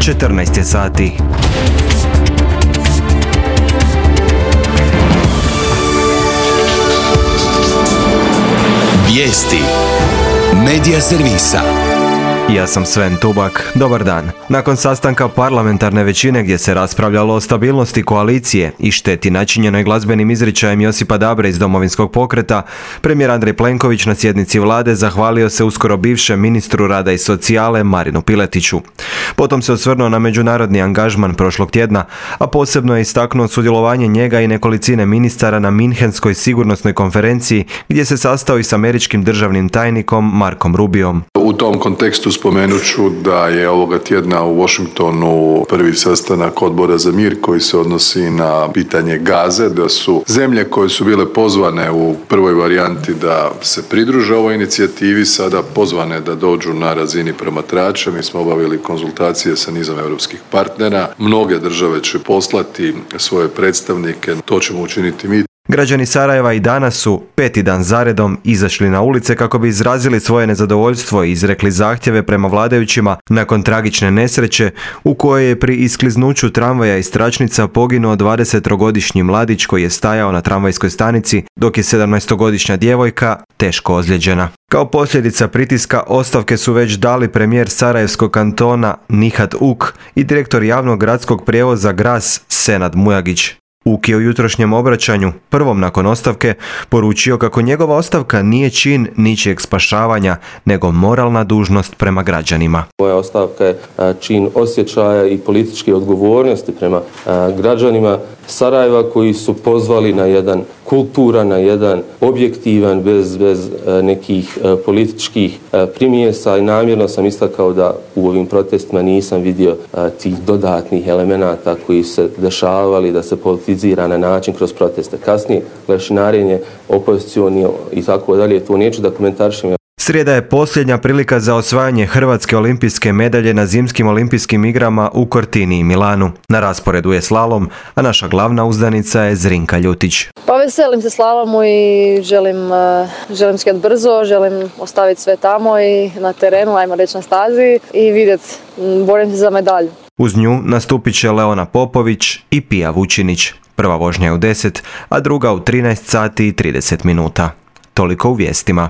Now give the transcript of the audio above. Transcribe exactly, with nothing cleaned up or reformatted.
četrnaest je sati. Vijesti Medija servisa. Ja sam Sven Tubak, dobar dan. Nakon sastanka parlamentarne većine gdje se raspravljalo o stabilnosti koalicije i šteti načinjenoj glazbenim izričajem Josipa Dabre iz Domovinskog pokreta, premijer Andrej Plenković na sjednici vlade zahvalio se uskoro bivšem ministru rada i socijale Marinu Piletiću. Potom se osvrnuo na međunarodni angažman prošlog tjedna, a posebno je istaknuo sudjelovanje njega i nekolicine ministara na Minhenskoj sigurnosnoj konferenciji gdje se sastao i s američkim državnim tajnikom Markom Rubiom. U tom kontekstu spomenut ću da je ovoga tjedna u Washingtonu prvi sastanak Odbora za mir koji se odnosi na pitanje Gaze, da su zemlje koje su bile pozvane u prvoj varijanti da se pridruže ovoj inicijativi sada pozvane da dođu na razini promatrača. Mi smo obavili konzultacije sa nizom europskih partnera. Mnoge države će poslati svoje predstavnike, to ćemo učiniti mi. Građani Sarajeva i danas su peti dan zaredom izašli na ulice kako bi izrazili svoje nezadovoljstvo i izrekli zahtjeve prema vladajućima nakon tragične nesreće u kojoj je pri iskliznuću tramvaja iz tračnica poginuo dvadesettrogodišnji mladić koji je stajao na tramvajskoj stanici, dok je sedamnaestogodišnja djevojka teško ozlijeđena. Kao posljedica pritiska ostavke su već dali premijer Sarajevskog kantona Nihat Uk i direktor javnog gradskog prijevoza Gras Senad Mujagić. Uk je u jutrošnjem obraćanju, prvom nakon ostavke, poručio kako njegova ostavka nije čin ničijeg spašavanja, nego moralna dužnost prema građanima. Moja ostavka je čin osjećaja i političke odgovornosti prema građanima Sarajeva koji su pozvali na jedan kulturan, na jedan objektivan, bez, bez nekih političkih primjesa i namjerno sam istakao da u ovim protestima nisam vidio tih dodatnih elemenata koji se dešavali da se politizira na način kroz proteste. Kasnije lešinarenje, opozicioni i tako dalje, to neću da komentarišem. Srijeda je posljednja prilika za osvajanje hrvatske olimpijske medalje na zimskim olimpijskim igrama u Cortini i Milanu. Na rasporedu je slalom, a naša glavna uzdanica je Zrinka Ljutić. Pa veselim se slalomu i želim, želim skijat brzo, želim ostaviti sve tamo i na terenu, ajmo reći na stazi i vidjeti, borim se za medalju. Uz nju nastupit će Leona Popović i Pija Vučinić. Prva vožnja je u deset, a druga u trinaest sati i trideset minuta. Toliko u vijestima.